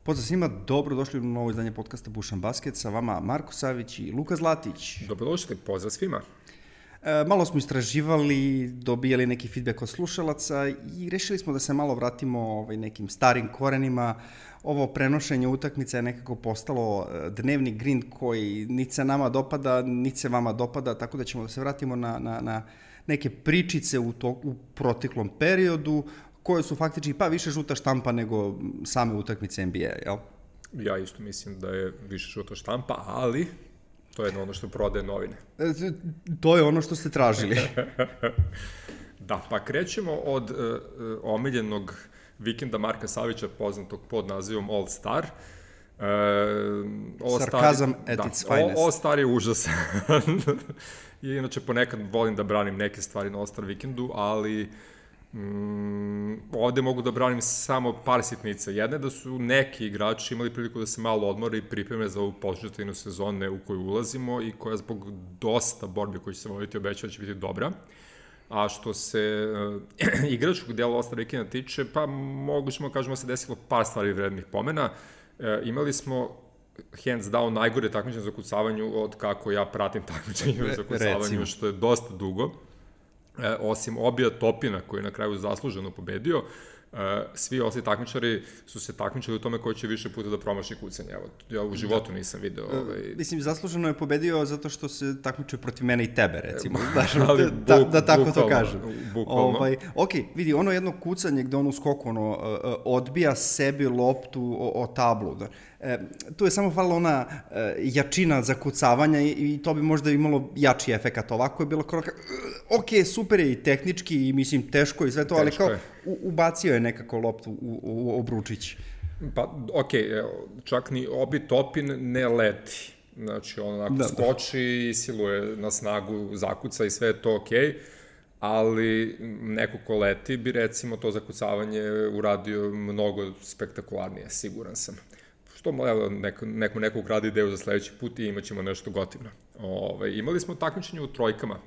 Pozdrav svima, dobrodošli u novo izdanje podcasta Bušan Basket, sa vama Marko Savić i Luka Zlatić. Dobrodošli, pozdrav svima. Malo smo istraživali, dobijali neki feedback od slušalaca i rešili smo da se malo vratimo nekim starim korenima. Ovo prenošenje utakmica je nekako postalo dnevni grind koji niti se nama dopada, niti se vama dopada, tako da ćemo da se vratimo na neke pričice u proteklom periodu, koje su faktički pa više žuta štampa nego same utakmice NBA, jel? Ja isto mislim da je više žuta štampa, ali to je ono što prodaje novine. To je ono što ste tražili. Da, pa krećemo od omiljenog vikenda Marka Savića, poznatog pod nazivom All Star. Sarkazam at its finest. All Star je užasan. I inače ponekad volim da branim neke stvari na All Star vikendu, ali ovde mogu da branim samo par sitnica. Jedna je da su neki igrači imali priliku da se malo odmore i pripreme za ovu početinu sezone u koju ulazimo i koja zbog dosta borbe koji će se voditi obećava će biti dobra. A što se igračkog dela All Star vikenda tiče, pa mogućemo kažemo da se desilo par stvari vrednih pomena. Imali smo hands down najgore takmičenje za kucavanju od kako ja pratim takmičenje za kucavanju, što je dosta dugo. Osim Obija Topina, koji je na kraju zasluženo pobedio, svi ostali takmičari su se takmičali u tome ko će više puta da promaši kucanje. Evo, ja u životu nisam video. Mislim, zasluženo je pobedio zato što se takmičuje protiv mene i tebe, recimo. Da tako to kažem. Bukvalno. Ok, vidi, ono jedno kucanje gde on u skoku odbija sebi loptu o tablu. Tu je samo falila ona jačina za kucavanja i to bi možda imalo jači efekat. Ovako je bilo kroka, ok, super je i tehnički i mislim teško i sve to, ali kao ubacio je nekako loptu u obručić. Pa, ok, čak ni Obi Topin ne leti. Znači, on onako skoči i siluje na snagu, zakuca i sve je to ok, ali neko ko leti bi recimo to zakucavanje uradio mnogo spektakularnije, siguran sam. Što, evo, neko ukrade ideju za sledeći put i imat ćemo nešto gotivno. Imali smo takmičenje u trojkama,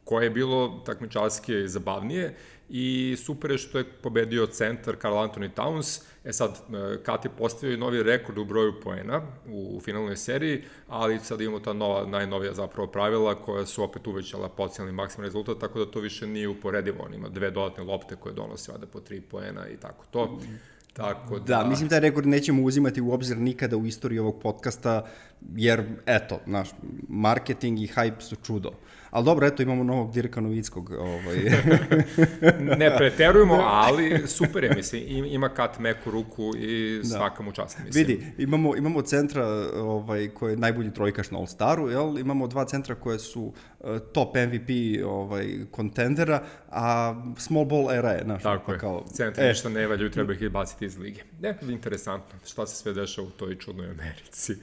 koje je bilo takmičarski zabavnije i super je što je pobedio centar Karl Anthony Towns. Sad, Kat je postavio novi rekord u broju poena u finalnoj seriji, ali sad imamo ta najnovija zapravo pravila koja su opet uvećala potencijalni maksimalni rezultat, tako da to više nije uporedivo. On ima 2 dodatne lopte koje donose vada po 3 poena i tako to. Tako da, mislim taj rekord nećemo uzimati u obzir nikada u istoriji ovog podcasta, jer, eto, naš marketing i hype su čudo. Ali dobro, eto, imamo novog Dirka Novickog. Ne preterujemo, ali super je, mislim, ima Kat meku ruku i svaka mu čast, mislim. Vidi, imamo centra koji je najbolji trojkaš na All-Staru, jel? Imamo 2 centra koje su top MVP kontendera, a small ball era je, znaš. Tako je, centri ništa ne valju, treba ih baciti iz lige. Interesantno, šta se sve dešava u toj čudnoj Americi.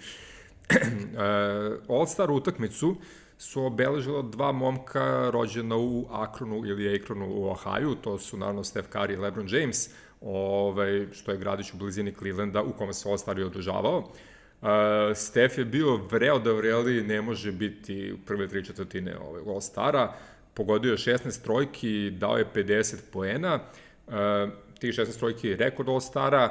All-Star utakmicu su obeležila 2 momka rođena u Akronu ili Akronu u Ohaju, to su naravno Steph Curry i LeBron James, što je gradić u blizini Clevelanda u kome se All-Star je održavao. Steph je bio vreo da vreli ne može biti u prve 3/4 All-Stara, pogodio je 16 trojki, dao je 50 poena, tih 16 trojki je rekord All-Stara,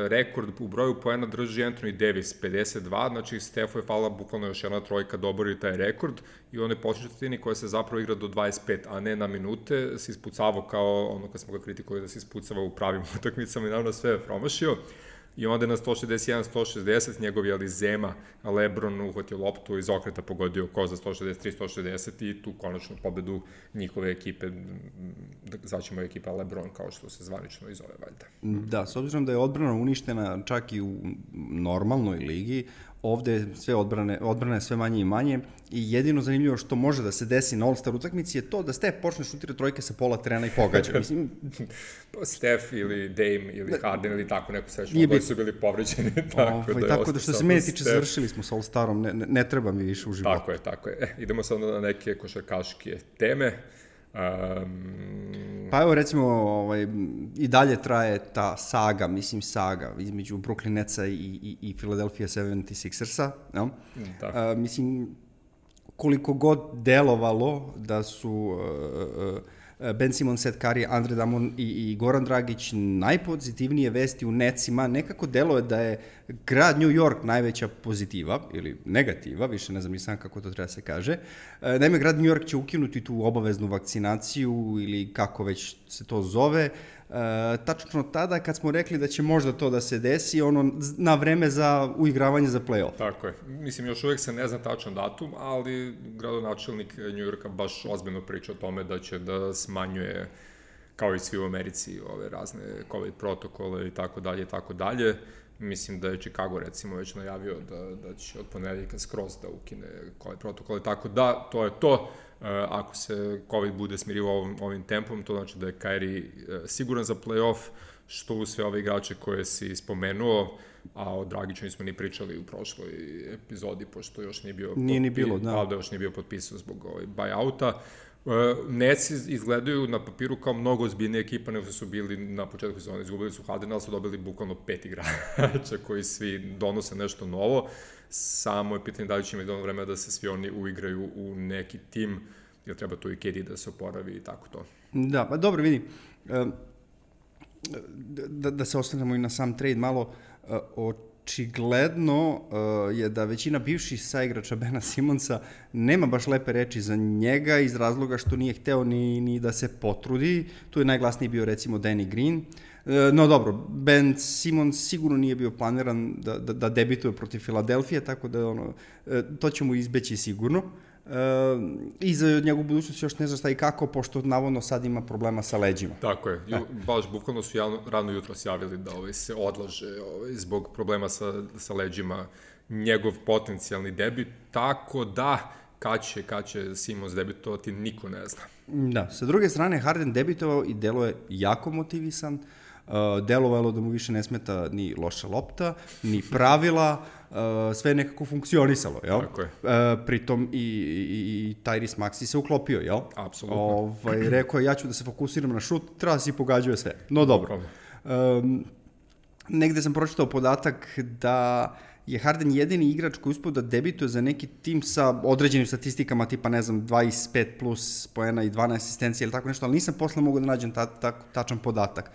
rekord u broju poena drži Anthony Davis, 52, znači Stefu je falila bukvalno još jedna trojka da obori taj rekord i on je početini koja se zapravo igra do 25, a ne na minute, se ispucavao kao ono kad smo ga kritikovali da se ispucava u pravim utakmicama i naravno sve je promašio. I onda je na 161-160 njegov Zema LeBron uhvatio loptu iz okreta pogodio ko za 163-160 i tu konačnu pobedu njihove ekipe, zvaćemo ekipa LeBron kao što se zvanično i zove valjda. Da, s obzirom da je odbrana uništena čak i u normalnoj ligi, ovde sve odbrana je sve manje i manje i jedino zanimljivo što može da se desi na All-Star utakmici je to da Steph počne šutirati trojke sa pola terena i pogađa. Mislim, Steph ili Dame ili Harden ili tako neko srećno, oboje su bili povređeni. Tako da što se mene tiče završili smo sa All-Starom, ne treba mi više u životu. Tako je. Idemo sad na neke košarkaške teme. Pa evo recimo i dalje traje ta saga između Brooklyn Netsa i Philadelphia 76ersa, no? Mislim, koliko god delovalo da su Ben Simmons, Seth Curry, Andre Drummond i Goran Dragić, najpozitivnije vesti u Netsima, nekako deluje da je grad New York najveća pozitiva, ili negativa, više ne znam ni sam kako to treba se kaže. Naime, grad New York će ukinuti tu obaveznu vakcinaciju, ili kako već se to zove, tačno tada kad smo rekli da će možda to da se desi, na vreme za uigravanje za play-off. Tako je. Mislim, još uvek se ne zna tačan datum, ali gradonačelnik New Yorka baš ozbiljno priča o tome da će da smanjuje, kao i svi u Americi, ove razne COVID protokole i tako dalje i tako dalje. Mislim da je Chicago, recimo, već najavio da će od ponedeljka skroz da ukine COVID protokole, tako da, to je to. Ako se COVID bude smirivao ovim tempom, to znači da je Kyrie siguran za play-off, što u sve ove igrače koje si spomenuo, a o Dragiću nismo ni pričali u prošloj epizodi, pošto još nije bio... Nije ni bilo, da. Valda još nije bio potpisan zbog buy-outa. Nets izgledaju na papiru kao mnogo ozbiljnija ekipa nego su bili na početku sezona. Izgubili su Hardena, ali su dobili bukvalno 5 igrača koji svi donose nešto novo. Samo je pitanje da li će imati dovoljno vremena da se svi oni uigraju u neki tim, jer treba tu i KD da se oporavi i tako to. Da, pa dobro, vidi. Da se osvrnemo i na sam trade malo, očigledno je da većina bivših saigrača Bena Simonsa nema baš lepe reči za njega iz razloga što nije hteo ni da se potrudi. Tu je najglasniji bio recimo Danny Green. No dobro, Ben Simmons sigurno nije bio planiran da debituje protiv Filadelfije, tako da to će mu izbeći sigurno. I za njegovu budućnost još ne zna šta i kako, pošto navodno sad ima problema sa leđima. Tako je, baš bukvalno su rano jutro javili da se odlaže zbog problema sa leđima njegov potencijalni debit, tako da kad će Simmons debitovati, niko ne zna. Da, sa druge strane Harden debitovao i delo je jako motivisan, delovalo da mu više ne smeta ni loša lopta, ni pravila, sve je nekako funkcionisalo, jel? Tako je. Pritom i Tyrese Maxey se uklopio, jel? Apsolutno. Rekao je, ja ću da se fokusiram na šut, treba si pogađuje sve. No dobro. Negde sam pročitao podatak da je Harden jedini igrač koji uspio da debituje za neki tim sa određenim statistikama, tipa, ne znam, 25 plus poena i 12 asistencija ili tako nešto, ali nisam posle mogao da nađem tačan podatak.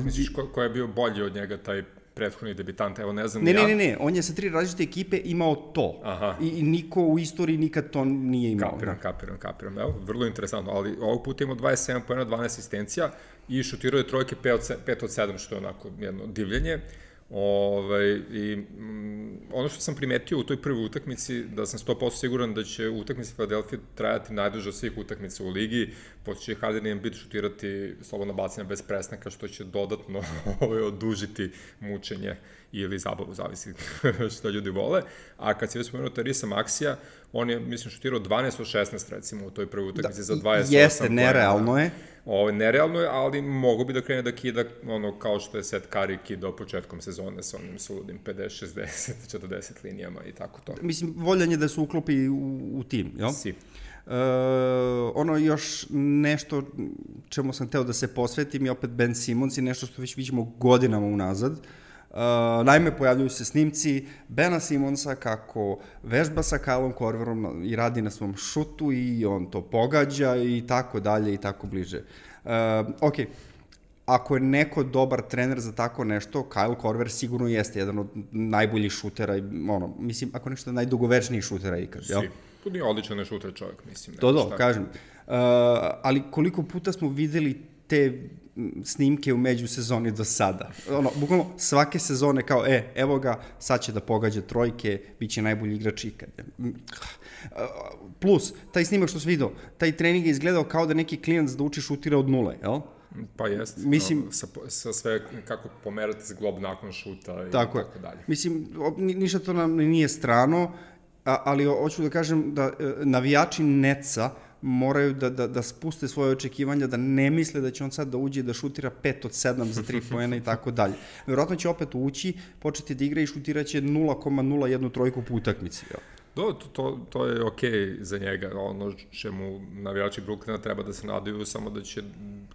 Misliš ko je bio bolji od njega, taj prethodni debitant, evo ne znam... Ne, on je sa 3 različite ekipe imao to. Aha. I niko u istoriji nikad to nije imao. Kapiram, evo, vrlo interesantno, ali ovog puta imao 27 poena, 12 asistencija i šutirao je trojke 5 od 7, što je onako jedno divljenje. I ono što sam primetio u toj prvoj utakmici, da sam 100% siguran da će utakmica Philadelphia trajati najduže od svih utakmica u ligi, pošto će Harden i Embiid šutirati slobodna bacanja bez presnaka, što će dodatno odužiti mučenje ili zabavu, zavisi što ljudi vole. A kad si već spomenuo Tyrese Maxija, on je, mislim, šutirao 12 od 16, recimo, u toj prvoj utakmici za 28. Jeste, nerealno je. Nerealno je, ali mogu bi da krene da kida kao što je Seth Curry kidao početkom sezone sa onim suludim 50, 60, 40 linijama i tako to. Mislim, voljan je da se uklopi u tim, jel? Si. Još nešto čemu sam hteo da se posvetim je opet Ben Simmons i nešto što već vidimo godinama unazad. Naime, pojavljuju se snimci Bena Simmonsa kako vežba sa Kylom Korverom i radi na svom šutu i on to pogađa i tako dalje i tako bliže. Ako je neko dobar trener za tako nešto, Kyle Korver sigurno jeste jedan od najboljih šutera, mislim, ako nešto najdugovečnijih šutera ikad, jel? Tu nije odličan šuter čovjek, mislim. Kažem. Ali koliko puta smo videli te snimke u međusezoni do sada. Bukvalno svake sezone kao, evo ga, sad će da pogađa trojke, bit će najbolji igrač ikad. Plus, taj snimak što sam vidio, taj trening je izgledao kao da neki klijent da uči šutira od nule, jel? Pa jest, mislim, sa sve kako pomerati zglob nakon šuta i tako dalje. Mislim, ništa to nam nije strano, ali hoću da kažem da navijači Netsa moraju da spuste svoje očekivanja, da ne misle da će on sad da uđe da šutira 5 od 7 za 3 poena i tako dalje. Vjerojatno će opet ući, početi da igra i šutiraće 0,01 trojku po utakmici. To je okej za njega. Ono čemu navijači Brooklyna treba da se nadaju, samo da će,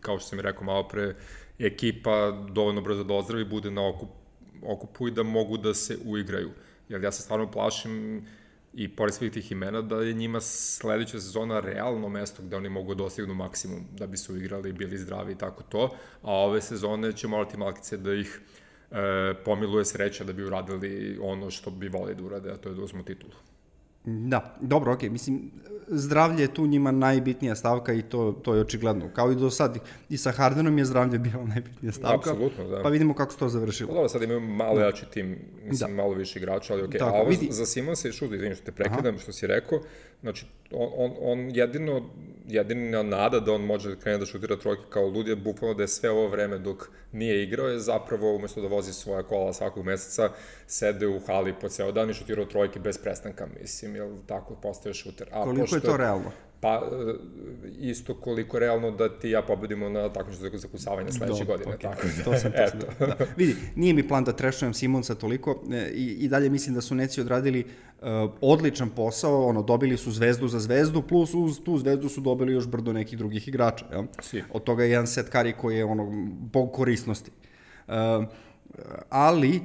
kao što sam mi rekao malo pre, ekipa dovoljno brzo da ozdravi, bude na okupu i da mogu da se uigraju. Jer ja se stvarno plašim i pored svih tih imena da je njima sledeća sezona realno mesto gde oni mogu dostignu maksimum da bi se uigrali, bili zdravi i tako to, a ove sezone će morati malkice da ih pomiluje sreća da bi uradili ono što bi volili da urade, a to je da uzmu titulu. Da, dobro, okej, mislim, zdravlje je tu njima najbitnija stavka i to je očigledno. Kao i do sad, i sa Hardenom je zdravlje bila najbitnija stavka. Apsolutno, da. Pa vidimo kako se to završilo. Dobro, sad imaju malo jači tim, mislim, malo više igrača, ali okej. A ovo za Simonsa i Šuda, izvinim što te prekidam, što si rekao, znači, on jedina nada da on može da krene da šutira trojke kao lud je bukvalno da je sve ovo vreme dok nije igrao je zapravo umesto da vozi svoja kola svakog meseca, sede u hali po ceo dan i šutirao trojke bez prestanka, mislim, jel tako postaje šuter. Koliko je to realno? Pa, isto koliko je realno da ti ja pobedimo na takmičenju za kusavanje sledeće godine. Okay. Tako da, to sam da. Vidi, nije mi plan da trešujem Simonsa toliko i dalje mislim da su Netsi odradili odličan posao, dobili su zvezdu za zvezdu, plus uz tu zvezdu su dobili još brdo nekih drugih igrača. Ja? Od toga je jedan Seth Curry koji je bog korisnosti. Ali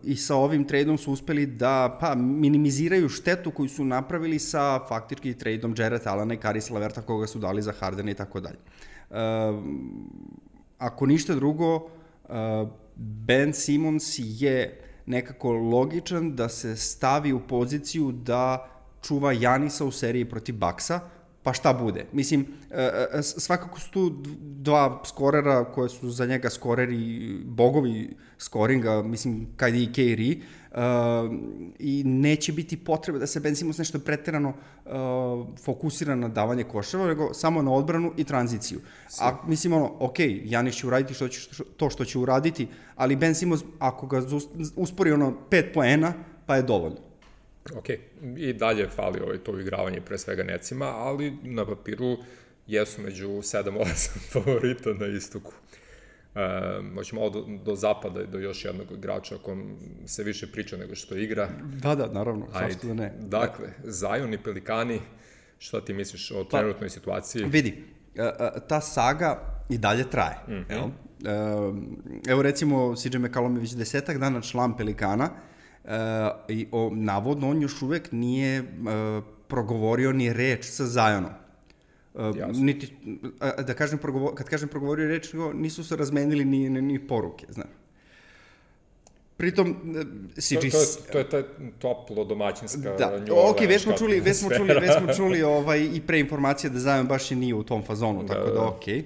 i sa ovim tradeom su uspeli da minimiziraju štetu koju su napravili sa faktički tradeom Jarrett Allena i Caris LeVerta koga su dali za Hardena i tako dalje. Ako ništa drugo, Ben Simmons je nekako logičan da se stavi u poziciju da čuva Janisa u seriji protiv Bucksa, pa šta bude. Mislim, svakako su tu dva skorera koje su za njega skoreri, bogovi skoringa, mislim, KD i Kyrie, i neće biti potrebe da se Ben Simmons nešto preterano fokusira na davanje koševa, nego samo na odbranu i tranziciju. A mislim, Janis će uraditi to što će uraditi, ali Ben Simmons, ako ga uspori 5 poena, pa je dovoljno. Ok, i dalje fali to igravanje pre svega Necima, ali na papiru jesu među 7-8 favorita na istoku. Hoće malo do zapada i do još jednog igrača o kom se više priča nego što igra. Da, naravno, zašto da ne. Dakle, Zion i Pelikani, šta ti misliš o trenutnoj situaciji? Vidi, ta saga i dalje traje. Evo recimo, CJ McCollum je već 10 dana član Pelikana, i navodno on još uvek nije progovorio ni reč sa Zionom. Niti, kad kažem progovorio reč, nisu se razmenili ni poruke, znaš. Pritom, To je ta toplo domaćinska ok, već smo čuli i pre informacije da Zion baš i nije u tom fazonu, tako da okej.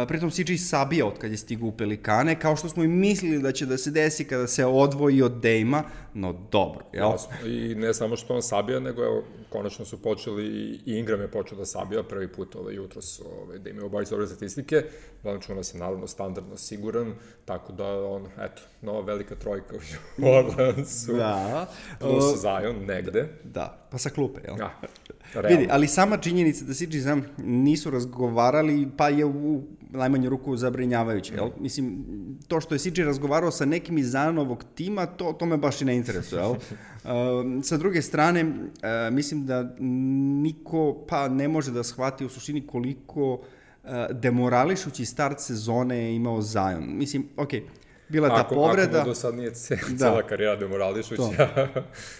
Pritom CJ sabija od kad je stigao u Pelikane, kao što smo i mislili da će da se desi kada se odvoji od Dame-a, no dobro, jel? Jasno, i ne samo što on sabija, nego evo, konačno su počeli, i Ingram je počeo da sabija prvi put jutros, da imaju obavić dobre statistike, Valanciunas je naravno standardno siguran, tako da nova velika trojka u Orlandsu, plus Zion negde. Da, pa sa klupe, jel? Ja. Vidi, ali sama činjenica da CJ Zion nisu razgovarali, pa je u najmanju ruku zabrinjavajuće, jel? Mislim, to što je CJ razgovarao sa nekim iz Zionovog tima, to me baš i ne interesuje, jel? Sa druge strane, mislim da niko ne može da shvati u suštini koliko demorališući start sezone je imao Zion. Mislim, bila ta povreda. Ako mu do sad nije cela karijera demorališuća.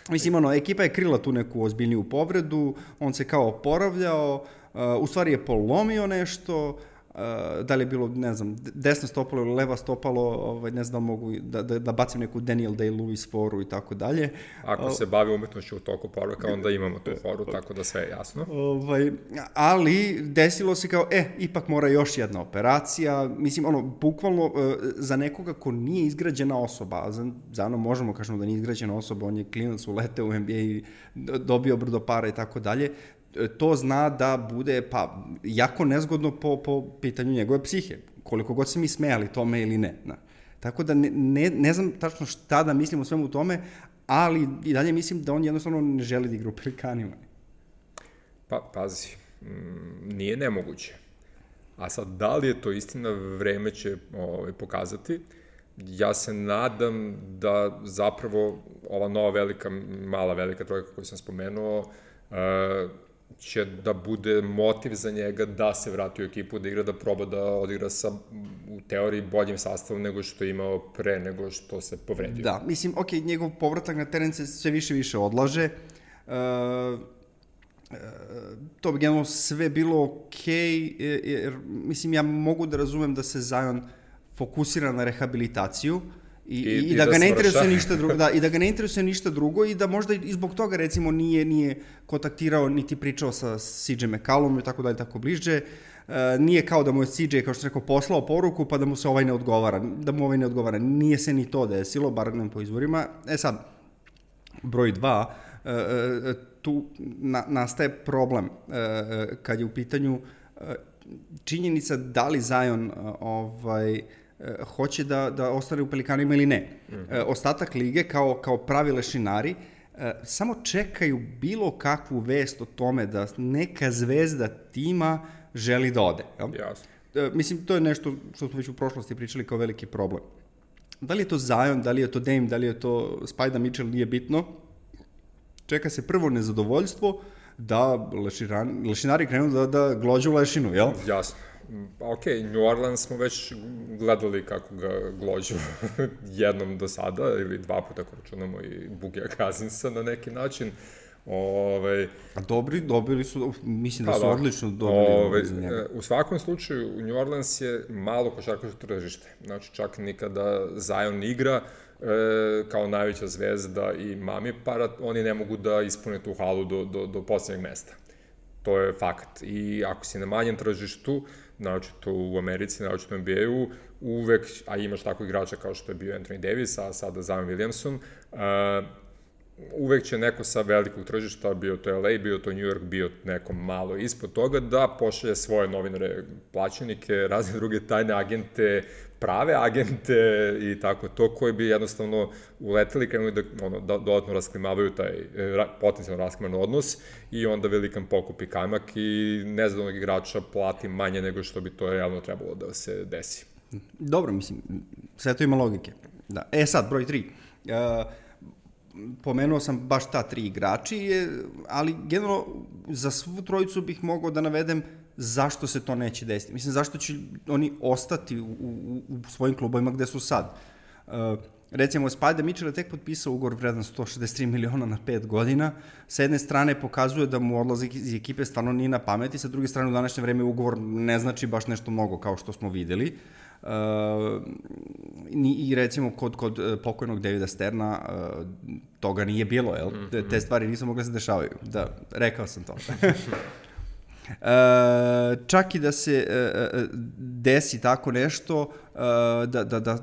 Mislim, ekipa je krila tu neku ozbiljniju povredu, on se kao oporavljao, u stvari je polomio nešto, da li je bilo, ne znam, desno stopalo ili leva stopalo, ne znam, mogu da bacim neku Daniel Day-Lewis foru i tako dalje. Ako se bavi umetnošću u toku poruka, onda imamo tu foru, tako da sve je jasno. Ali desilo se kao, ipak mora još jedna operacija, mislim, bukvalno za nekoga ko nije izgrađena osoba, za možemo kažemo da nije izgrađena osoba, on je klinac, uleteo u NBA i dobio brdo para i tako dalje, to zna da bude jako nezgodno po pitanju njegove psihe, koliko god se mi smejali tome ili ne. Tako da ne znam tačno šta da mislim o svemu tome, ali i dalje mislim da on jednostavno ne želi da igra u Pelikanima. Pa, pazi, nije nemoguće. A sad, da li je to istina, vreme će pokazati. Ja se nadam da zapravo ova nova mala velika trojka koju sam spomenuo, će da bude motiv za njega da se vrati u ekipu, da igra, da proba da odigra sa, u teoriji, boljim sastavom nego što je imao pre nego što se povredio. Da, mislim, njegov povratak na teren se sve više odlaže, to bi generalno sve bilo okej, jer mislim ja mogu da razumem da se Zion fokusira na rehabilitaciju i da ga ne interesuje ništa drugo, i da ga ne interesuje ništa drugo i da možda i zbog toga recimo nije kontaktirao niti pričao sa CJ McCollumom i tako dalje, tako bliže. Nije kao da mu je CJ, kao što sam rekao, poslao poruku pa da mu se ovaj ne odgovara. Nije se ni to desilo, bar ne po izvorima. Sad, broj 2, tu nastaje problem kad je u pitanju činjenica da li Zion hoće da ostane u Pelikanima ili ne. Ostatak lige kao pravi lešinari samo čekaju bilo kakvu vest o tome da neka zvezda tima želi da ode. Jasno. Mislim, to je nešto što smo već u prošlosti pričali kao veliki problem. Da li je to Zion, da li je to Dame, da li je to Spida Mitchell, nije bitno. Čeka se prvo nezadovoljstvo da lešinari krenu da glođu lešinu, jel? Jasno. Ok, New Orleans smo već gledali kako ga glođu jednom do sada, ili 2 puta ako računamo i Bugija Cousinsa na neki način. A dobili su, mislim da su odlično dobili za njega. U svakom slučaju, New Orleans je malo košarkaško tržište. Znači, čak nikada Zion igra kao najveća zvezda i mami para, oni ne mogu da ispune tu halu do posljednjeg mesta. To je fakt. I ako si na manjem tržištu, naročito u Americi, naročito u NBA-u, uvek, a imaš tako igrača kao što je bio Anthony Davis, a sada Zion Williamson, uvek će neko sa velikog tržišta, bio to LA, bio to New York, bio neko malo ispod toga, da pošalje svoje novinare, plaćenike, razne druge tajne agente, prave agente i tako to, koji bi jednostavno uleteli, krenuli da dodatno rasklimavaju taj potencijalno raskliman odnos i onda velikan pokupi kajmak i nezadovoljnog igrača plati manje nego što bi to realno trebalo da se desi. Dobro, mislim, sve to ima logike. Da. Sad, broj 3. Pomenuo sam baš ta 3 igrači, ali generalno za svu trojicu bih mogao da navedem zašto se to neće desiti. Mislim, zašto će oni ostati u svojim klubovima gde su sad. Recimo, Spida Mitchell je tek potpisao ugovor vredan 163 miliona na 5 godina. Sa jedne strane pokazuje da mu odlazak iz ekipe stvarno nije na pameti, sa druge strane u današnje vreme ugovor ne znači baš nešto mnogo kao što smo videli. I recimo kod pokojnog Davida Sterna toga nije bilo, jel? Te stvari nisu mogle se dešavaju. Da, rekao sam to. Čak i da se desi tako nešto,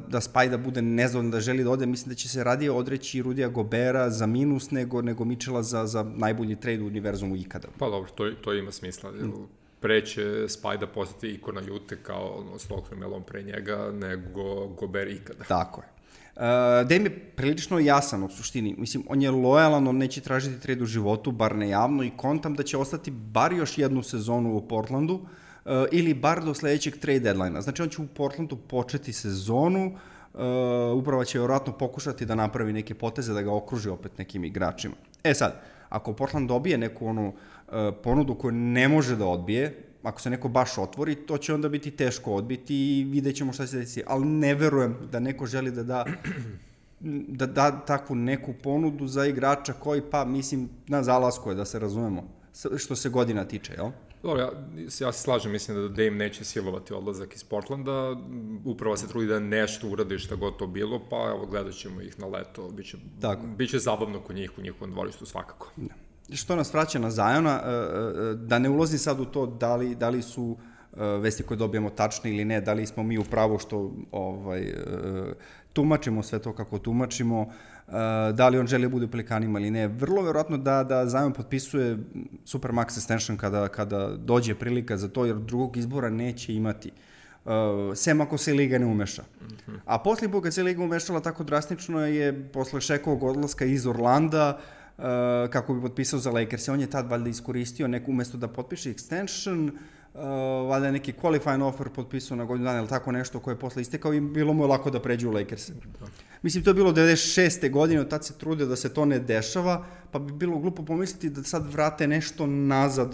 da Spida bude nezadovoljan, da želi da ode, mislim da će se radije odreći Rudija Gobera za minus nego Mitchella za najbolji trade u univerzumu ikada. Pa dobro, to ima smisla. Pre će Spida postati ikona Jute kao Stockton Melon pre njega, nego Gober ikada. Tako je. Dame je prilično jasan u suštini. Mislim, on je lojalan, on neće tražiti trade u životu, bar ne javno, i kontam da će ostati bar još jednu sezonu u Portlandu ili bar do sledećeg trade deadline-a. Znači, on će u Portlandu početi sezonu, upravo će vjerojatno pokušati da napravi neke poteze, da ga okruži opet nekim igračima. Sad, ako Portland dobije neku ponudu koju ne može da odbije, ako se neko baš otvori, to će onda biti teško odbiti i vidjet ćemo šta se desi. Ali ne verujem da neko želi da da takvu neku ponudu za igrača koji, pa mislim, na zalasku je, da se razumemo, što se godina tiče, jel? Dobro, ja se slažem, mislim da Dame neće silovati odlazak iz Portlanda, upravo se trudi da nešto uradi šta god to bilo, pa evo, gledat ćemo ih na leto, biće zabavno kod njih u njihovom dvorištu svakako. Da. Što nas vraća na Ziona, da ne ulazim sad u to da li su vesti koje dobijamo tačne ili ne, da li smo mi u pravu što tumačimo sve to kako tumačimo, da li on želi da bude u Pelikanima ili ne. Vrlo verovatno da Zion potpisuje Supermax extension kada dođe prilika za to, jer drugog izbora neće imati. Sem ako se Liga ne umeša. A posle kad se Liga umešala tako drastično je posle Šekovog odlaska iz Orlanda, kako bi potpisao za Lakers. On je tad valjda iskoristio umesto da potpiše extension, valjda je neki qualifying offer potpisao na godinu dana ili tako nešto koje je posle istekao i bilo mu je lako da pređe u Lakers. Mislim, to je bilo 96. godine, od tad se trudio da se to ne dešava, pa bi bilo glupo pomisliti da sad vrate nešto nazad,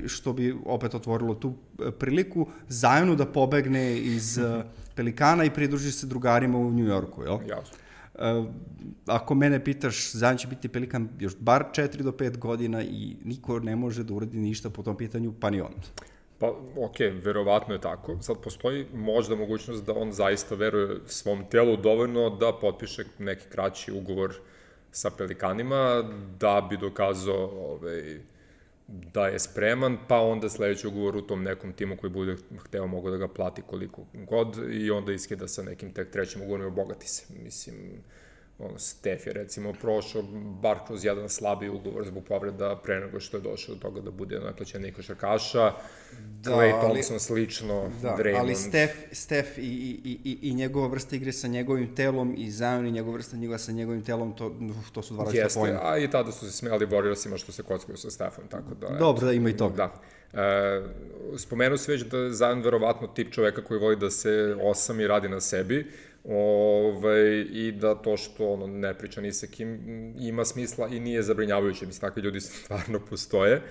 što bi opet otvorilo tu priliku Zionu da pobegne iz Pelikana i pridruži se drugarima u New Yorku, jel? Jasno. Ako mene pitaš, Zion će biti Pelikan još bar 4 do 5 godina i niko ne može da uradi ništa po tom pitanju, pa ni on. Pa, verovatno je tako. Sad postoji možda mogućnost da on zaista veruje svom telu dovoljno da potpiše neki kraći ugovor sa Pelikanima, da bi dokazao da je spreman, pa onda sledeći ugovor u tom nekom timu koji bude hteo mogu da ga plati koliko god i onda iskida sa nekim tek trećim ugovorom i obogati se. Mislim, Steph je recimo prošao bar kroz jedan slabiji ugovor zbog povreda pre nego što je došao do toga da bude najplaćeniji košarkaša. Klay Thompson slično, Draymond. Ali Steph i njegova vrsta igre sa njegovim telom i Zion i njegova vrsta igre sa njegovim telom, to su dva različita pojma. Jeste, a i tada su se smijali Warriorsima što se kockaju sa Stephom, tako da... Dobro, da ima i toga. Da. Spomenuo se već da je Zion verovatno tip čoveka koji voli da se osami i radi na sebi, i da to što ne priča ni sa kim ima smisla i nije zabrinjavajuće. Mislim, takvi ljudi stvarno postoje.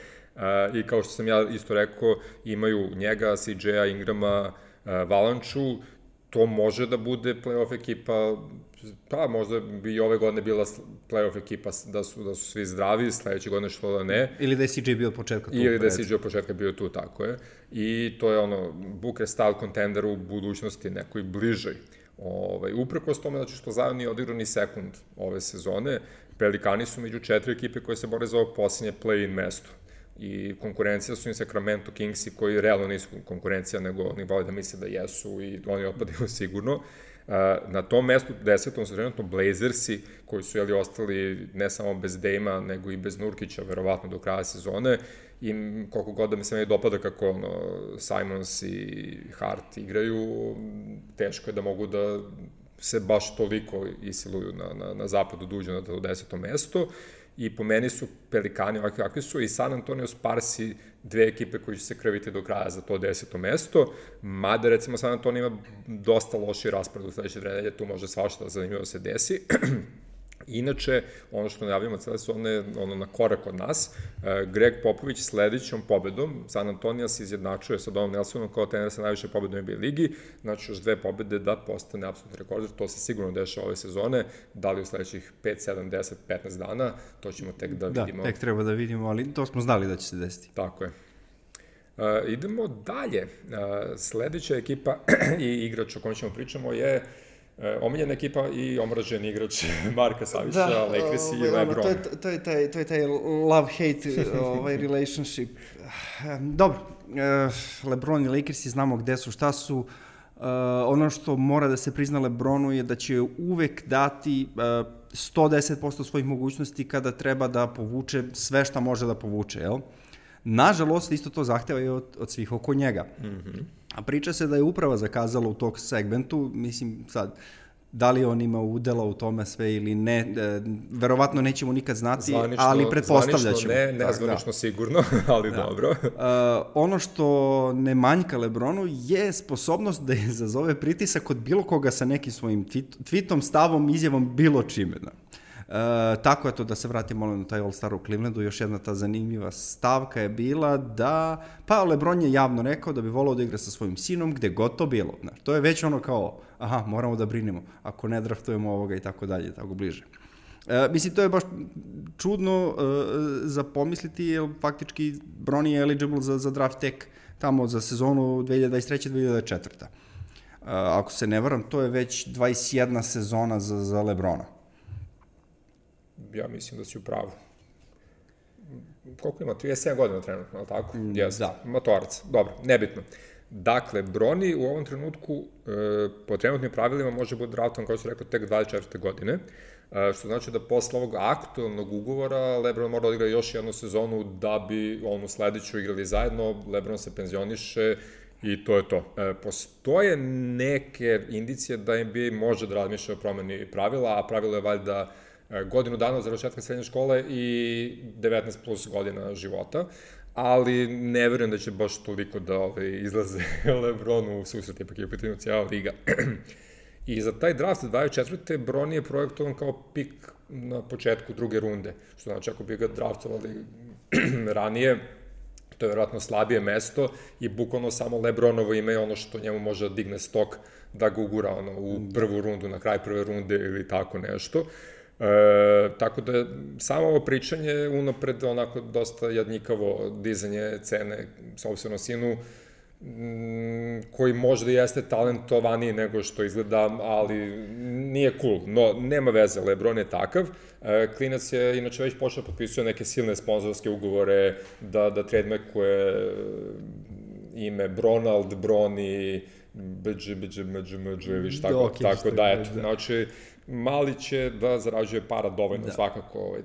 I kao što sam ja isto rekao, imaju njega, CJ-a, Ingrama, Valanču, to može da bude play-off ekipa, pa možda bi i ove godine bila play-off ekipa da su svi zdravi, sledeće godine što da ne. Ili da je CJ bio od početka tu. Ili da je CJ od početka bio tu, tako je. I to je Booker style contender u budućnosti, nekoj bližoj. Uprkos tome, znači što Zion nije odigrao ni sekund ove sezone, Pelikani su među 4 ekipe koje se bore za ovo posljednje play-in mesto. I konkurencija su im Sacramento Kingsi koji realno nisu konkurencija, nego oni vole da misle da jesu i oni otpadaju sigurno. Na tom mestu 10. su trenutno Blazersi, koji su ostali ne samo bez Dejma, nego i bez Nurkića, verovatno do kraja sezone. I koliko god da mi se meni dopada kako Simons i Hart igraju, teško je da mogu da se baš toliko isiluju na zapadu duđu na to 10. mesto. I po meni su Pelikani ovakvi kakvi su i San Antonio Sparsi dve ekipe koji će se krviti do kraja za to 10. mesto, mada recimo San Antonio ima dosta loši raspored u sledeće nedelje, tu može svašta zanimljivo se desi. Inače, ono što najavljamo cele su na korak od nas, Greg Popović sledećom pobedom San Antonija se izjednačuje sa Donom Nelsonom kao trener sa najviše pobeda u NBA ligi, znači još 2 pobede da postane apsolutni rekorder, to se sigurno dešava ove sezone, da li u sledećih 5, 7, 10, 15 dana, to ćemo tek da vidimo. Da, tek treba da vidimo, ali to smo znali da će se desiti. Tako je. Idemo dalje. Sledeća ekipa i igrač o kojem ćemo pričamo je omiljena ekipa i omražen igrač Marka Savića, Lakers i LeBron. To je taj love-hate relationship. Dobro, LeBron i Lakersi znamo gde su, šta su. Ono što mora da se prizna LeBronu je da će uvek dati 110% svojih mogućnosti kada treba da povuče sve šta može da povuče, jel? Nažalost, isto to zahteva i od svih oko njega. A priča se da je uprava zakazala u tog segmentu, mislim sad, da li on ima udela u tome sve ili ne, verovatno nećemo nikad znati, ali pretpostavlja ćemo. Nezvanično sigurno, ali dobro. Ono što ne manjka LeBronu je sposobnost da izazove pritisak od bilo koga sa nekim svojim tweetom, stavom, izjavom, bilo čime. Tako je to, da se vratimo na taj All-Star u Clevelandu, još jedna ta zanimljiva stavka je bila da, pa LeBron je javno rekao da bi volao da igra sa svojim sinom gde god to bilo, to je već ono kao, aha, moramo da brinemo, ako ne draftujemo ovoga i tako dalje, tako bliže. Mislim, to je baš čudno za pomisliti, jer faktički Bron je eligible za draft tek tamo za sezonu 2023-2024. Ako se ne varam, to je već 21 sezona za LeBrona. Ja mislim da si u pravu. Koliko ima? 37 godina trenutno, ali tako? Da. Matorac. Dobro, nebitno. Dakle, Broni u ovom trenutku po trenutnim pravilima može biti draftovan, kao što rekao, tek 24. godine, što znači da posle ovog aktualnog ugovora LeBron mora da igra još jednu sezonu da bi onu sledeću igrali zajedno, LeBron se penzioniše i to je to. Postoje neke indicije da NBA može da razmišlja o promeni pravila, a pravilo je valjda godinu dana od završetka srednje škole i 19 plus godina života, ali ne verujem da će baš toliko da izlaze LeBronu u susret, ipak je u pitanju cijela liga. I za taj draft 24. Bron je projektovan kao pik na početku druge runde, što znači ako bi ga draftovali ranije, To je vjerojatno slabije mesto i bukvalno samo LeBronovo ime je ono što njemu može da digne stok da ga ugura u prvu rundu, na kraj prve runde ili tako nešto. Tako da samo ovo pričanje unapred onako dosta jadnikavo dizanje cene sopstveno sinu, koji možda jeste talentovaniji nego što izgleda, ali nije cool. No, nema veze, LeBron je takav. Klinac je inače već počeo potpisuje neke silne sponzorske ugovore, da trademarkuje ime Bronald, Broni, viš tako da, eto. Znači, mali će da zarađuje para dovoljno svakako.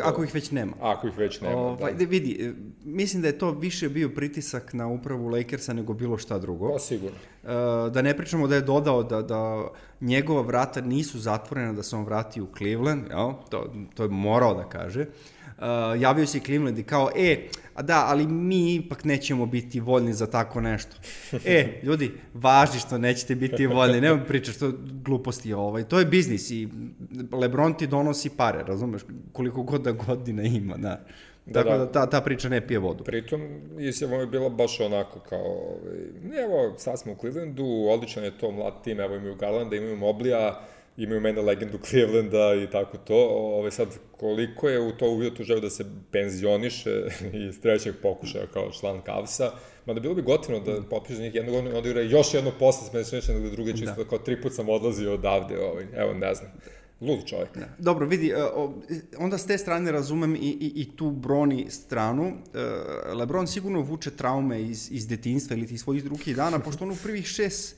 Ako ih već nema. Ako ih već nema, da. Vidi, mislim da je to više bio pritisak na upravu Lakersa nego bilo šta drugo. To sigurno. Da ne pričamo da je dodao da njegova vrata nisu zatvorena, da se on vrati u Cleveland, to je morao da kaže. Javio se i Cleveland i kao, ali mi ipak nećemo biti voljni za tako nešto. Ljudi, važi što nećete biti voljni, nema pričaš, to gluposti, to je biznis i LeBron ti donosi pare, razumeš, koliko god da godina ima, da. Tako da ta priča ne pije vodu. Pritom, izjava je bila baš onako kao, evo, sad smo u Clevelandu, odličan je to mlad tim, evo imaju Garlanda, imaju Moblija, imaju mene legendu Clevelanda i tako to. Sad, koliko je u to uvidio tu želju da se penzioniše iz trećeg pokušaja kao član Cavsa, mada bilo bi gotivno da potpiše njih jednu godinu i onda igra još jedno posle smešnjeće nego druge, čisto kao 3 put sam odlazio odavde, evo ne znam. Lud čovjek. Dobro, vidi, onda s te strane razumem i tu Broni stranu. LeBron sigurno vuče traume iz detinjstva ili iz svojih drugih dana, pošto on u prvih 6-7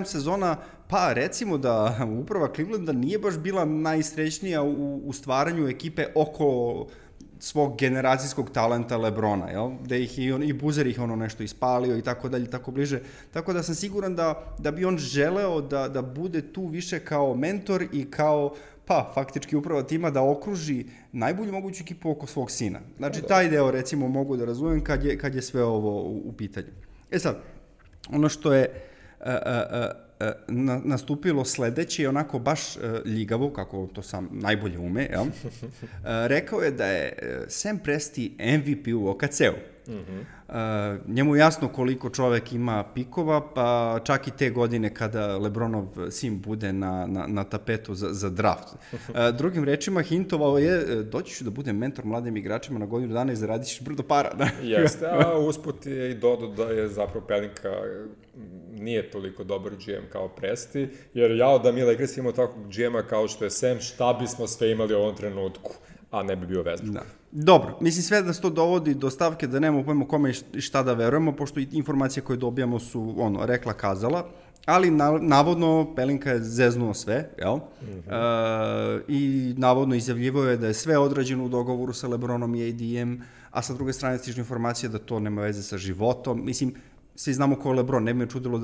sezona, pa recimo da uprava Clevelanda nije baš bila najsrećnija u stvaranju ekipe oko svog generacijskog talenta LeBrona, jel? Da ih i Buzer ih nešto ispalio i tako dalje, tako bliže. Tako da sam siguran da bi on želeo da bude tu više kao mentor i kao, faktički uprava tima da okruži najbolju moguću ekipu oko svog sina. Znači, taj deo, recimo, mogu da razumem kad je sve ovo u pitanju. Sad, ono što je nastupilo sledeće je onako baš ljigavo, kako to sam najbolje ume, jel? Rekao je da je Sam Presti MVP u OKC-u. Njemu je jasno koliko čovek ima pikova, pa čak i te godine kada LeBronov sin bude na tapetu za draft. Drugim rečima, hintovao je, doći ću da budem mentor mladim igračima na godinu dana i zaradit ćeš brdo para. Jeste, a usput je i dodao da je zapravo Pelinka nije toliko dobar GM kao Presti, jer da mi Lakers imamo takvog GM-a kao što je Sam, šta bismo sve imali u ovom trenutku, a ne bi bio Westbrook. Dobro, mislim sve da se to dovodi do stavke da nemamo pojma kome i šta da verujemo, pošto i informacije koje dobijamo su, rekla kazala, ali navodno Pelinka je zeznuo sve, jel? I navodno izjavljivao je da je sve odrađeno u dogovoru sa LeBronom i AD-em, a sa druge strane stižu informacije da to nema veze sa životom. Mislim, svi znamo ko je LeBron, ne bi me čudilo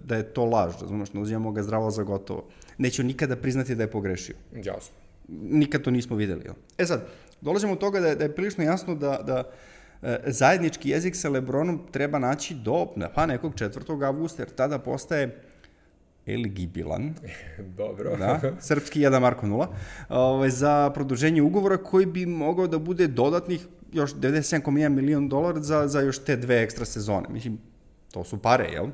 da je to laž, razumiješ, ne uzimamo ga zdravo za gotovo. Neću nikada priznati da je pogrešio. Jasno. Nikad to nismo videli. Sad, dolazimo od toga da je prilično jasno da zajednički jezik sa LeBronom treba naći do nekog 4. avgusta, jer tada postaje eligibilan. Dobro. Srpski 1 Marko 0. Za produženje ugovora koji bi mogao da bude dodatnih još $97,1 milion za još te 2 ekstra sezone. Mislim, to su pare, jel?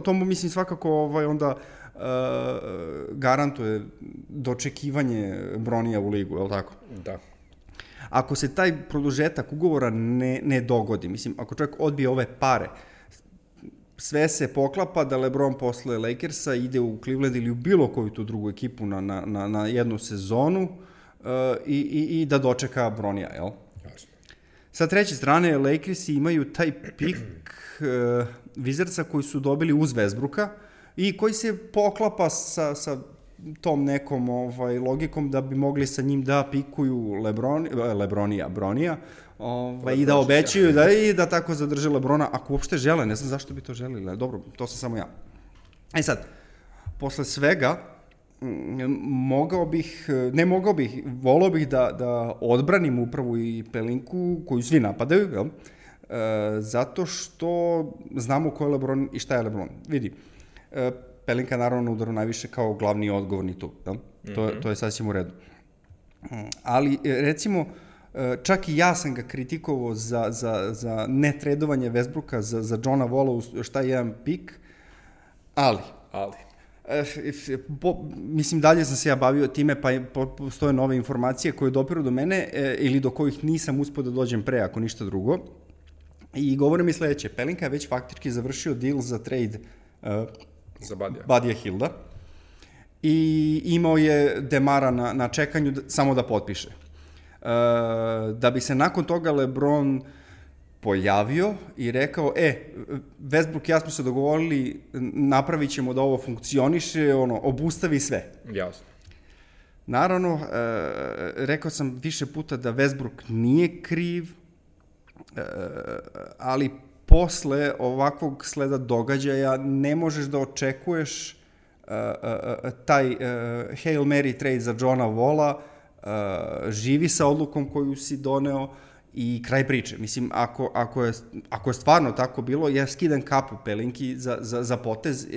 To mu, mislim, svakako onda garantuje dočekivanje Bronija u ligu, je li tako? Da. Ako se taj produžetak ugovora ne dogodi, mislim, ako čovjek odbije ove pare, sve se poklapa da LeBron posle Lakersa ide u Cleveland ili u bilo koju tu drugu ekipu na jednu sezonu i da dočeka Bronija, jel? Jasno. Sa treće strane, Lakersi imaju taj pik Wizardsa koji su dobili uz Westbrooka i koji se poklapa sa tom nekom logikom da bi mogli sa njim da pikuju Bronija i da obećaju da tako zadrže LeBrona, ako uopšte žele, ne znam zašto bi to želili, dobro, to sam samo ja. Sad, posle svega, volao bih da odbranim upravu i Pelinku koju svi napadaju, jel? Zato što znamo ko je LeBron i šta je LeBron. Vidi, Pelinka naravno udaru najviše kao glavni odgovorni tu, jel? To je sasvim u redu. Ali, recimo, Čak i ja sam ga kritikovao za netredovanje Westbrooka za Johna Walla, šta je jedan pik, ali mislim, dalje sam se ja bavio time, pa postoje nove informacije koje dopiru do mene ili do kojih nisam uspio da dođem pre, ako ništa drugo. I govore mi sledeće, Pelinka je već faktički završio deal za trade za Budija Hilda i imao je Demara na čekanju samo da potpiše. Da bi se nakon toga LeBron pojavio i rekao, Westbrook i ja smo se dogovorili, napravit ćemo da ovo funkcioniše, obustavi sve. Jasno. Naravno, rekao sam više puta da Westbrook nije kriv, ali posle ovakvog sleda događaja ne možeš da očekuješ taj Hail Mary trade za Johna Walla, živi sa odlukom koju si doneo i kraj priče. Mislim, ako je stvarno tako bilo, ja skidam kapu Pelinki za potez,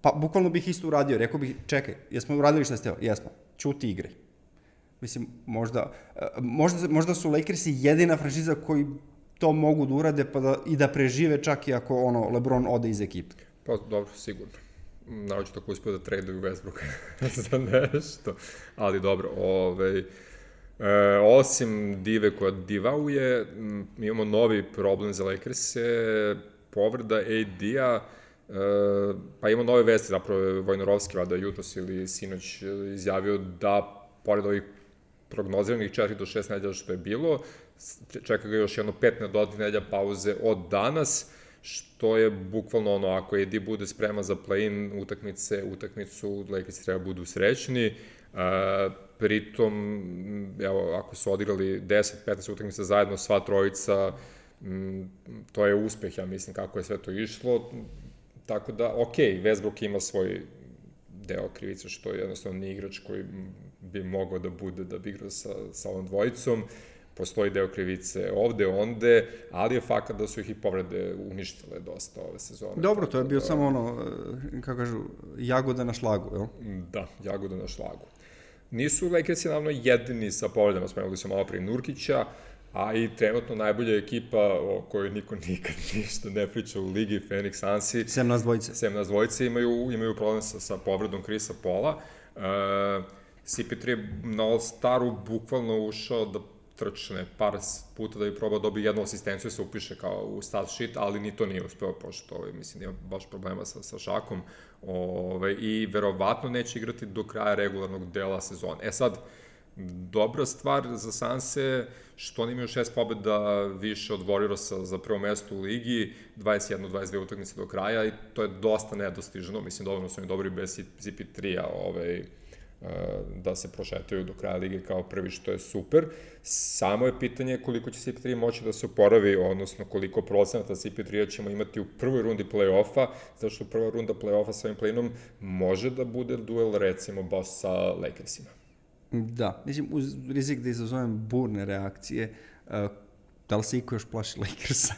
pa bukvalno bih isto uradio. Rekao bih, čekaj, jesmo uradili šta ste teo? Jesmo. Ćuti igre. Mislim, možda su Lakersi jedina franšiza koji to mogu da urade i da prežive čak i ako LeBron ode iz ekipe. Pa dobro, sigurno. Naravno tako uspio da traduju Westbrooka za nešto, ali dobro, osim dive koja divauje, imamo novi problem za Lakers-e, povreda AD-a, pa imamo nove vesti, zapravo je Vojnarovski vada jutros ili sinoć izjavio da, pored ovih prognoziranih 4 do 6 nedelja što je bilo, čeka ga još jedno 5 dodatnih nedelja pauze od danas, što je bukvalno ako AD bude spreman za play-in utakmicu, Lakersi treba budu srećni. Pritom, evo, ako su odigrali 10-15 utakmica zajedno, sva trojica, to je uspeh, ja mislim, kako je sve to išlo. Tako da, Westbrook ima svoj deo krivice, što je jednostavno ni igrač koji bi mogao da bude da bi igrao sa ovom dvojicom. Postoji deo krivice ovde, onde, ali je fakat da su ih i povrede uništile dosta ove sezone. Dobro, to je bio samo kako kažu, jagoda na šlagu, jel? Da, jagoda na šlagu. Nisu Lakersi naravno jedini sa povredama, spomenuli smo malo pre Nurkića, a i trenutno najbolja ekipa o kojoj niko nikad ništa ne priča u ligi, Phoenix Sunsi. Sem nas dvojice. Imaju problem sa povredom Chrisa Paula. CP3 je na All-Staru bukvalno ušao da trčne par puta da bi probao dobiti jednu asistenciju, se upiše kao u stat sheet, ali ni to nije uspeo, pošto mislim, ima baš problema sa šakom i verovatno neće igrati do kraja regularnog dela sezone. Sad, dobra stvar za Sanse, što oni imaju 6 pobjeda više od Warriorsa za prvo mesto u ligi, 21-22 utakmice do kraja i to je dosta nedostižno, mislim, dovoljno su oni dobri bez CP3-a, da se prošetaju do kraja lige kao prvi, što je super. Samo je pitanje koliko će CP3 moći da se oporavi, odnosno koliko procenata CP3 ćemo imati u prvoj rundi play-offa, zato što prva runda play-offa sa ovim play-inom može da bude duel, recimo, baš sa Lakersima. Da, mislim, uz rizik da izazovem burne reakcije, da li se iko još plaši Lakersa?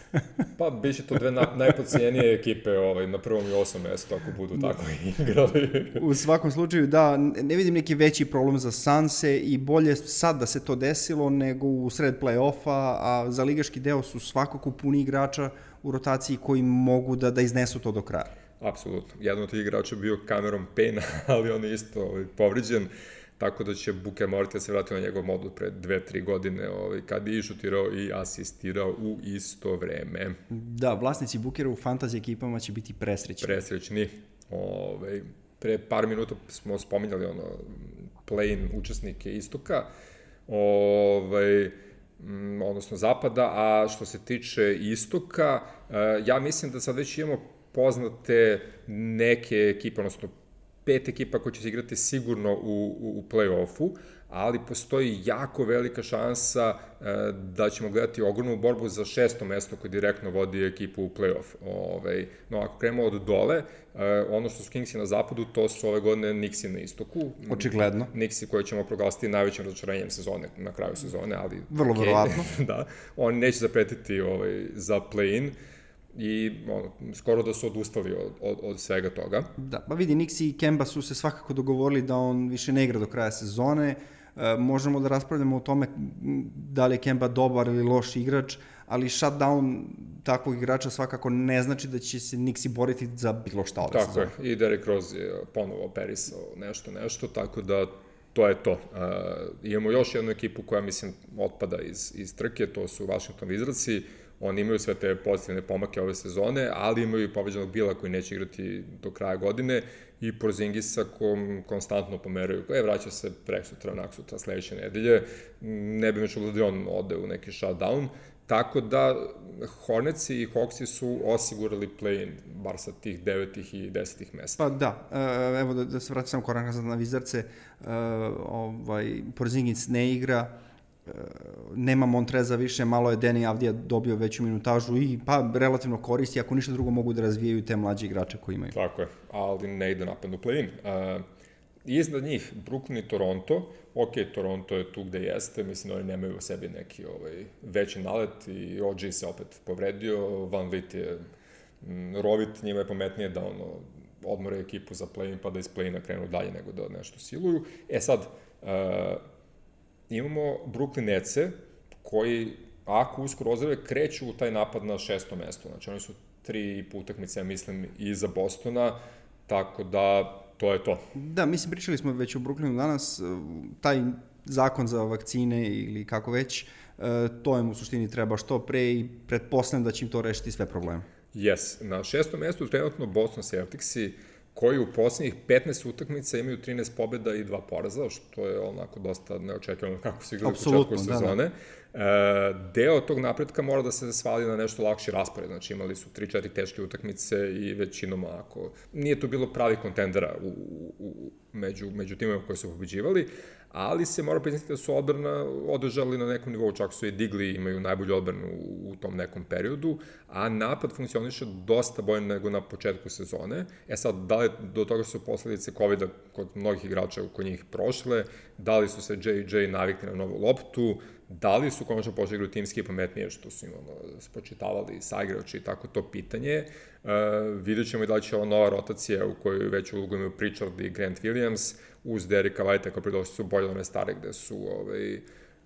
Pa, bit će to dve najpocijenije ekipe na prvom i 8. mestu, ako budu tako igrali. U svakom slučaju, da, ne vidim neki veći problem za Sanse i bolje sad da se to desilo nego u sred play-offa, a za ligaški deo su svakako puni igrača u rotaciji koji mogu da iznesu to do kraja. Apsolutno. Jedan od tih igrača bio Cameron Payne, ali on je isto povređen. Tako da će Booker morati da se vrati na njegov modul pre 2-3 godine, kad je i šutirao i asistirao u isto vreme. Da, vlasnici Bookera u fantasy ekipama će biti presrećni. Presrećni. Pre par minuta smo spominjali play-in učesnike istoka, odnosno zapada, a što se tiče istoka, ja mislim da sad već imamo poznate neke ekipe, odnosno 5 ekipa koje će se igrati sigurno u play-offu, ali postoji jako velika šansa da ćemo gledati ogromnu borbu za 6. mesto koje direktno vodi ekipu u play-off. No, ako krenemo od dole, ono što su Kingsi na zapadu, to su ove godine Knicksi na istoku. Očigledno. Knicksi koje ćemo proglasiti najvećim razočaranjem sezone, na kraju sezone, ali... Vrlo verovatno. Da, oni neće zapretiti za play-in. I skoro da su odustali od svega toga. Da, pa vidi, Knicks i Kemba su se svakako dogovorili da on više ne igra do kraja sezone. Možemo da raspravljamo o tome da li je Kemba dobar ili loš igrač, ali shutdown takvog igrača svakako ne znači da će se Knicksi boriti za bilo šta ove sezone. Tako je, i Derrick Rose je ponovo operisao nešto, tako da to je to. Imamo još jednu ekipu koja, mislim, otpada iz trke, to su Washington Wizardsi. Oni imaju sve te pozitivne pomake ove sezone, ali imaju i pobeđenog Bila koji neće igrati do kraja godine i Porzingisa konstantno pomeraju. Vraća se preksutra, naksutra, sledeće nedelje. Ne bi me čulo da on ode u neki shutdown. Tako da Hornetsi i Hawksi su osigurali play-in, bar sa tih 9. i 10. mesta. Pa da, evo da se vratim samo korak nazad na Wizardse, Porzingis ne igra, nema Montreza više, malo je Deni Avdija dobio veću minutažu i pa relativno koristi, ako ništa drugo mogu da razvijaju te mlađe igrače koji imaju. Tako je, ali ne ide napadnu play-in. Iznad njih, Brooklyn i Toronto, Toronto je tu gde jeste, mislim da oni nemaju u sebi neki veći nalet i OG se opet povredio, Van Vliet je rovit, njima je pametnije da odmore ekipu za play-in pa da iz play-ina krenu dalje nego da nešto siluju. Sad, imamo Brooklyn Netse koji, ako uskoro ozdrave, kreću u taj napad na 6. mesto. Znači, oni su 3 utakmice, mislim, iza Bostona, tako da to je to. Da, mislim, pričali smo već o Brooklynu danas, taj zakon za vakcine ili kako već, to im u suštini treba što pre i pretpostavljam da će im to rešiti sve probleme. Yes. Na 6. mestu trenutno Boston Celticsi, koji u poslednjih 15 utakmica imaju 13 pobjeda i 2 poraza, što je onako dosta neočekivano kako su igrali u početku sezone. Deo tog napretka mora da se svali na nešto lakši raspored, znači imali su 3-4 teške utakmice i većinom ako nije to bilo pravi kontendera među timima koji su pobeđivali, ali se mora priznati da su odbrana održali na nekom nivou, čak su i digli, imaju najbolju odbranu u tom nekom periodu, a napad funkcioniše dosta bolje nego na početku sezone. Sad, da li do toga su posledice COVID-a kod mnogih igrača kod njih prošle, da li su se J.J. navikli na novu loptu, da li su konačno počeli igrati timski i pametnije, što su im spočitavali saigrači i tako to pitanje. Vidjet ćemo i da li će ova nova rotacija u kojoj već ulogu imaju Pritchard i Grant Williams uz Derricka Whitea koji pridošli su bolje od one stare gde su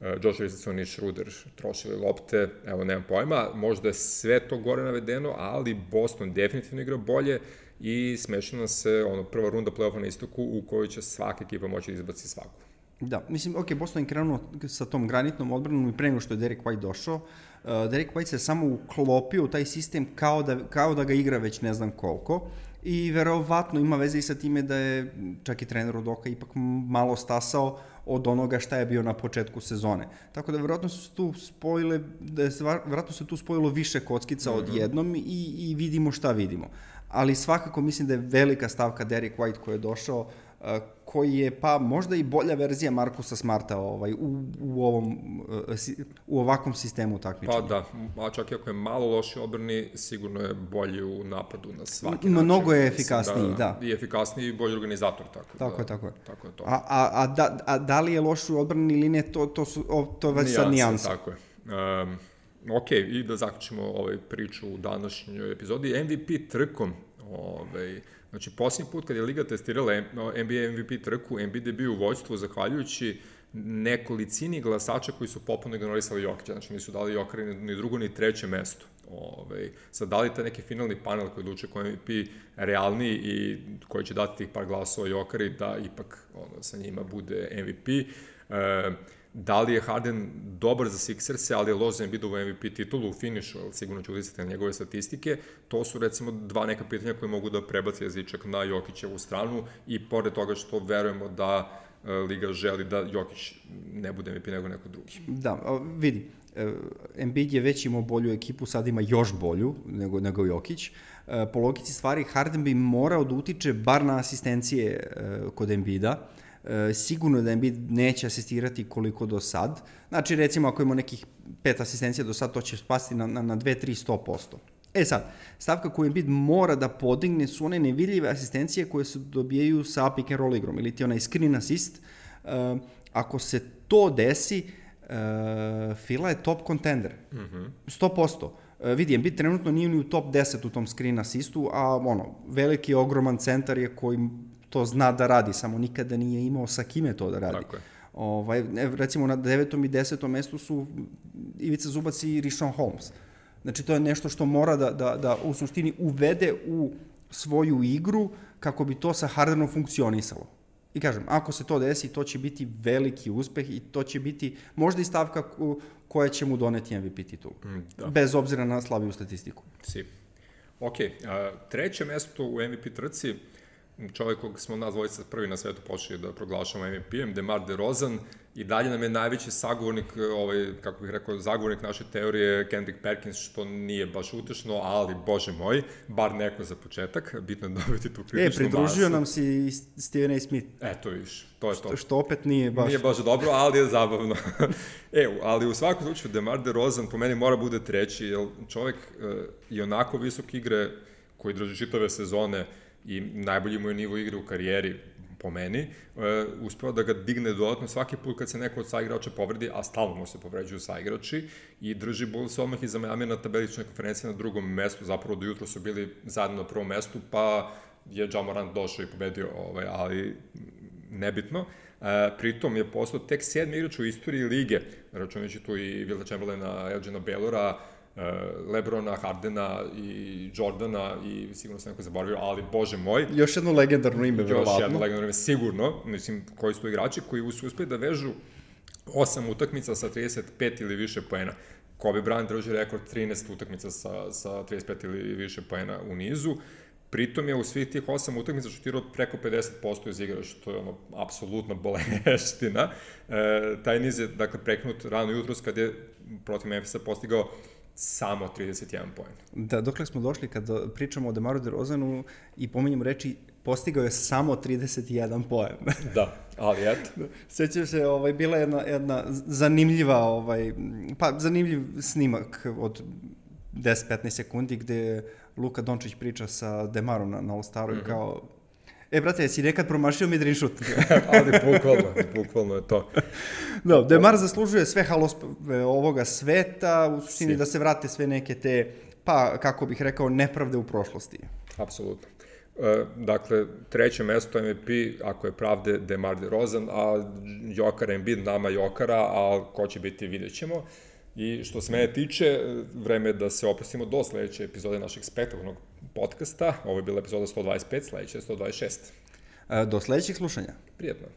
Josh Richardson i Schroeder trošili lopte, evo nemam pojma, možda je sve to gore navedeno, ali Boston definitivno igra bolje i smešno nam se prva runda play-offa na istoku u kojoj će svaka ekipa moći da izbaci svaku. Da, mislim, Boston je krenuo sa tom granitnom odbranom i pre nego što je Derrick White došao. Derrick White se samo uklopio u taj sistem kao da ga igra već ne znam koliko i verovatno ima veze i sa time da je čak i trener od Oka ipak malo stasao od onoga šta je bio na početku sezone. Tako da verovatno su tu spojilo više kockica odjednom i vidimo šta vidimo. Ali svakako mislim da je velika stavka Derrick White koji je došao, koji je pa možda i bolja verzija Marcusa Smarta u ovakvom sistemu takmičenja. Pa da, a čak i ako je malo loši odbrani, sigurno je bolji u napadu na svaki način. Mnogo je efikasniji, da. I efikasniji i bolji organizator, tako je. Tako je to. A da li je loš u odbrani ili ne, to već sad nijansa. Tako je. Ok, i da zaključimo priču u današnjoj epizodi. MVP trkom, znači, posljednji put kad je Liga testirala NBA MVP trku, Embiid je bio u vođstvu zahvaljujući nekolicini glasača koji su potpuno ignorisali Jokića, znači nisu dali Jokera ni drugo ni treće mesto. Sad, da li taj neki finalni panel koji odlučuje ko je MVP realniji i koji će dati tih par glasova Jokeri da ipak sa njima bude MVP. Da li je Harden dobar za Sixerse, ali je loš za Embiidovu MVP titulu u finišu, ali sigurno će uticati na njegove statistike. To su recimo dva neka pitanja koje mogu da prebaci jezičak na Jokićevu stranu i pored toga što verujemo da Liga želi da Jokić ne bude MVP nego neko drugi. Da, vidi, Embiid je već imao bolju ekipu, sad ima još bolju nego Jokić. Po logici stvari, Harden bi morao da utiče bar na asistencije kod Embiida. Sigurno da Embiid neće asistirati koliko do sad. Znači, recimo, ako ima nekih 5 asistencija do sad, to će spasti na 2-3-100%. Sad, stavka koju Embiid mora da podigne su one nevidljive asistencije koje se dobijaju sa pick and roll igrom, ili ti onaj screen assist. Ako se to desi, Fila je top contender. 100%. Vidi, Embiid trenutno nije ni u top 10 u tom screen assistu, a veliki, ogroman centar je koji to zna da radi, samo nikada nije imao sa kime to da radi. Tako je. Recimo na 9. i 10. mestu su Ivica Zubac i Richaun Holmes. Znači, to je nešto što mora da u suštini uvede u svoju igru kako bi to sa Hardenom funkcionisalo. I kažem, ako se to desi, to će biti veliki uspeh i to će biti možda i stavka koja će mu doneti MVP titulu. Bez obzira na slabiju statistiku. Ok, treće mesto u MVP trci, čovjek kog smo nas dvojica prvi na svetu počeli da proglašamo MVP-em, DeMar DeRozan, i dalje nam je najveći sagovornik, kako bih rekao, zagovornik naše teorije Kendrick Perkins, što nije baš utešno, ali, bože moj, bar neko za početak, bitno je dobiti tu kritičnu masu. Pridružio nam si i Stephen A. Smith. Eto viš, to je to. Što opet nije baš... Nije baš dobro, ali je zabavno. Ali u svakom slučaju, DeMar DeRozan po meni mora bude treći, jer čovjek je onako visok igre koji drži čitave sezone i najbolji mu je nivo igre u karijeri, po meni, uspeo da ga digne dodatno svaki put kad se neko od saigrača povredi, a stalno mu se povređuju saigrači, i drži Bulls odmah iza Miami na tabeličnoj konferenciji na drugom mestu, zapravo do jutro su bili zajedno na prvom mestu, pa je Ja Morant došao i pobedio, ali nebitno. Pritom je postao tek 7. igrač u istoriji lige, računajući tu i Wilta Chamberlaina, Elgina Baylora, Lebrona, Hardena i Jordana, i sigurno sam neko zaboravio, ali bože moj. Još jedno legendarno ime, verovatno. Još jedno legendarno ime, sigurno. Mislim, koji su to igrači koji su uspeli da vežu 8 utakmica sa 35 ili više poena. Kobe Bryant drži rekord 13 utakmica sa 35 ili više poena u nizu. Pritom je u svih tih 8 utakmica šutirao preko 50% iz igra, što je apsolutno boleština. Taj niz je, dakle, preknut rano jutros kad je protiv Memphisa postigao samo 31 poen. Da, dokle smo došli kad pričamo o DeMaru DeRozanu i pominjemo reči, postigao je samo 31 poen. Da, ali eto. Sjećam se, bila jedna zanimljiva, zanimljiv snimak od 10-15 sekundi gde Luka Dončić priča sa DeMarom na All-Staru i kao, brate, jesi nekad promašio midrange šut? Ali bukvalno je to. Da, DeMar zaslužuje sve halospeve ovoga sveta, u suštini da se vrate sve neke te, pa, kako bih rekao, nepravde u prošlosti. Apsolutno. Dakle, treće mesto MVP, ako je pravde, DeMar DeRozan, a Jokar Embiid, nama Jokara, a ko će biti, vidjet ćemo. I što se mene tiče, vreme je da se opustimo do sledeće epizode našeg spektakularnog podcasta. Ovo je bila epizoda 125, sledeća je 126. Do sledećeg slušanja. Prijetno.